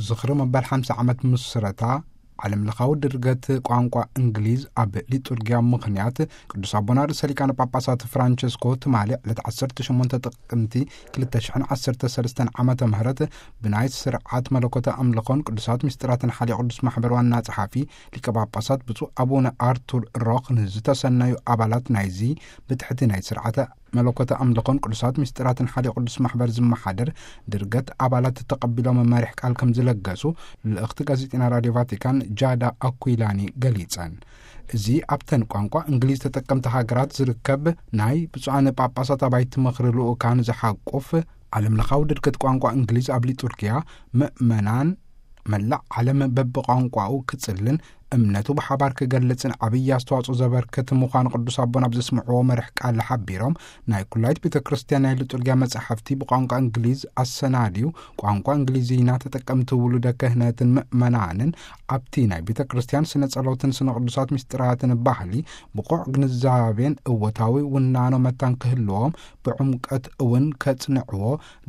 ዝኽሪ መበል ሓምሳ ዓመት ምስረታ ዓለም ለኻዊ ድርገት ቋንቋ እንግሊዝ ኣብ ሊጡርጊያ ምኽንያት፣ ቅዱስ ኣቦና ርእሰ ሊቃነ ጳጳሳት ፍራንቸስኮ ትማሊ ዕለት ዓሰርተ ሸሞንተ ጥቅምቲ ክልተ ሽሕን ዓሰርተ ሰለስተን ዓመተ ምህረት ብናይ ስርዓት መለኮተ ኣምልኾን ቅዱሳት ምስጢራትን ሓልዮ ቅዱስ ማሕበር ዋና ጸሓፊ ሊቀ ጳጳሳት ብፁዕ ኣቡነ ኣርቱር ሮኽ ንዝተሰነዩ ኣባላት ናይዚ ብትሕቲ ናይ ስርዓተ መለኮተ ኣምልኾን ቅዱሳት ምስጢራትን ሓልዮ ቅዱስ ማሕበር ዝመሓደር ድርገት ኣባላት ተቐቢሎም መሪሕ ቃል ከም ዝለገሱ ልእኽቲ ጋዜጠኛ ራድዮ ቫቲካን ጃዳ ኣኩይላኒ ገሊጸን። እዚ ኣብተን ቋንቋ እንግሊዝ ተጠቀምቲ ሃገራት ዝርከብ ናይ ብፁዓን ጳጳሳት ኣባይቲ ምኽሪ ልኡካን ዝሓቁፍ ዓለም ለኻዊ ድርገት ቋንቋ እንግሊዝ ኣብ ሊጡርጊያ ምእመናን መላእ ዓለም በብቋንቋኡ ክጽልን እምነቱ ብሓባር ክገልጽን ዓብዪ ኣስተዋጽኦ ዘበርክት ምዃኑ ቅዱስ ኣቦና ኣብ ዘስምዕዎ መርሕ ቃል ሓቢሮም፣ ናይ ኩላይት ቤተ ክርስቲያን ናይ ሊጡርጊያ መጻሕፍቲ ብቋንቋ እንግሊዝ ኣሰናድዩ ቋንቋ እንግሊዝኛ ተጠቀምቲ ውሉደ ክህነትን ምእመናንን ኣብቲ ናይ ቤተ ክርስቲያን ስነ ጸሎትን ስነ ቅዱሳት ምስጢራትን ባህሊ ብቑዕ ግንዛቤን እወታዊ ውናኖ መታን ክህልዎም ብዕምቀት እውን ከጽንዕዎ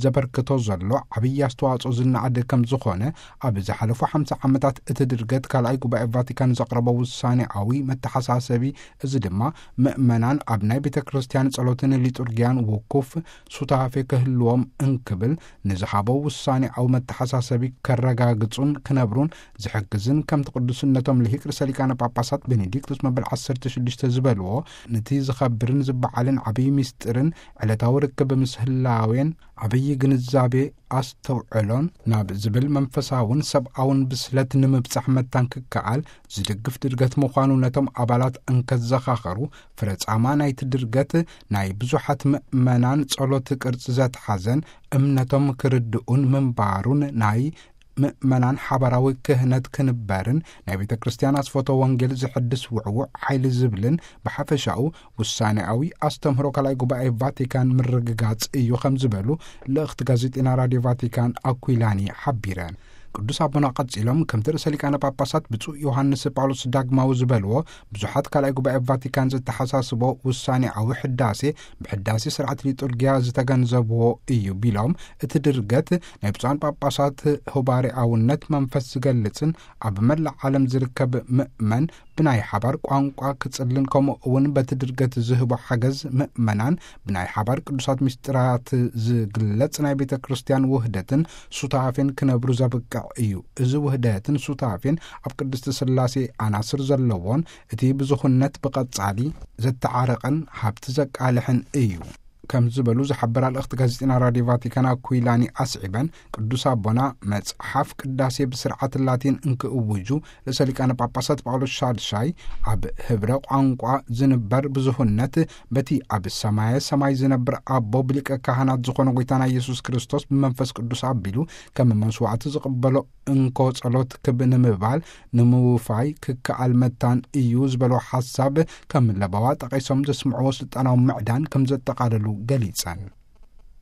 ዘበርክቶ ዘሎ ዓብዪ ኣስተዋጽኦ ዝነኣድ ከም ዝኾነ ኣብ ዝሓለፉ ሓምሳ ዓመታት እቲ ድርገት ካልኣይ ጉባኤ ቫቲካን ዘቕረቦ ውሳኔኣዊ መተሓሳሰቢ፣ እዚ ድማ ምእመናን ኣብ ናይ ቤተ ክርስቲያን ጸሎትን ሊጡርጊያን ውኩፍ ሱታፌ ክህልዎም እንክብል ንዝሃቦ ውሳኔኣዊ መተሓሳሰቢ ከረጋግጹን ክነብሩን ዝሕግዝን ከምቲ ቅዱስነቶም ልሂቅ ርእሰ ሊቃነ ጳጳሳት ቤኔዲክቱስ መበል ዓሰርተ ሽዱሽተ ዝበልዎ፣ ነቲ ዝኸብርን ዝበዓልን ዓብዪ ምስጢርን ዕለታዊ ርክብ ምስ ህላዌን ዓብዪ ግንዛቤ ኣስተውዕሎን ናብ ዝብል መንፈሳውን ሰብኣውን ብስለት ንምብጻሕ መታን ክከኣል ዝድግፍ ድርገት ምዃኑ ነቶም ኣባላት እንከዘኻኸሩ፣ ፍረጻማ ናይቲ ድርገት ናይ ብዙሓት ምእመናን ጸሎት ቅርጺ ዘትሓዘን እምነቶም ክርድኡን ምንባሩን ናይ ምእመናን ሓባራዊ ክህነት ክንበርን ናይ ቤተ ክርስቲያን ኣስፈቶ ወንጌል ዝሕድስ ውዕዉዕ ሓይሊ ዝብልን ብሓፈሻኡ ውሳኔኣዊ ኣስተምህሮ ካልኣይ ጉባኤ ቫቲካን ምርግጋጽ እዩ ከም ዝበሉ ልእኽቲ ጋዜጠኛ ራድዮ ቫቲካን ኣኩይላኒ ሓቢረን። ቅዱስ ኣቦና ቀጺሎም ከምቲ ርእሰ ሊቃነ ጳጳሳት ብፁዕ ዮሃንስ ጳውሎስ ዳግማዊ ዝበልዎ፣ ብዙሓት ካልኣይ ጉባኤ ቫቲካን ዘተሓሳስቦ ውሳኔኣዊ ሕዳሴ ብሕዳሴ ስርዓት ሊጡርጊያ ዝተገንዘብዎ እዩ ቢሎም፣ እቲ ድርገት ናይ ብፁዓን ጳጳሳት ሆባሪኣውነት መንፈስ ዝገልጽን ኣብ መላእ ዓለም ዝርከብ ምእመን ብናይ ሓባር ቋንቋ ክጽልን ከምኡ እውን በቲ ድርገት ዝህቦ ሓገዝ ምእመናን ብናይ ሓባር ቅዱሳት ምስጢራት ዝግለጽ ናይ ቤተ ክርስቲያን ውህደትን ሱታፌን ክነብሩ ዘብቅዕ እዩ። እዚ ውህደትን ሱታፌን ኣብ ቅድስቲ ስላሴ ኣናስር ዘለዎን እቲ ብዙኹነት ብቐጻሊ ዘተዓረቐን ሃብቲ ዘቃልሕን እዩ ከም ዝበሉ ዝሓበራ ልእኽቲ ጋዜጠና ራድዮ ቫቲካን ኣኩይላኒ ኣስዒበን፣ ቅዱስ ኣቦና መጽሓፍ ቅዳሴ ብስርዓት ላቲን እንክእውጁ፣ ርእሰ ሊቃነ ጳጳሳት ጳውሎስ ሻድሻይ ኣብ ህብረ ቋንቋ ዝንበር ብዙሁነት በቲ ኣብ ሰማየ ሰማይ ዝነብር ኣቦ ብሊቀ ካህናት ዝኾነ ጎይታና ኢየሱስ ክርስቶስ ብመንፈስ ቅዱስ ኣቢሉ ከም መስዋዕቲ ዝቕበሎ እንኮ ጸሎት ክብ ንምባል ንምውፋይ ክከኣል መታን እዩ ዝበሎ ሓሳብ ከም ለበዋ ጠቒሶም ዘስምዕዎ ስልጣናዊ ምዕዳን ከም ዘጠቓለሉ ገሊጸን።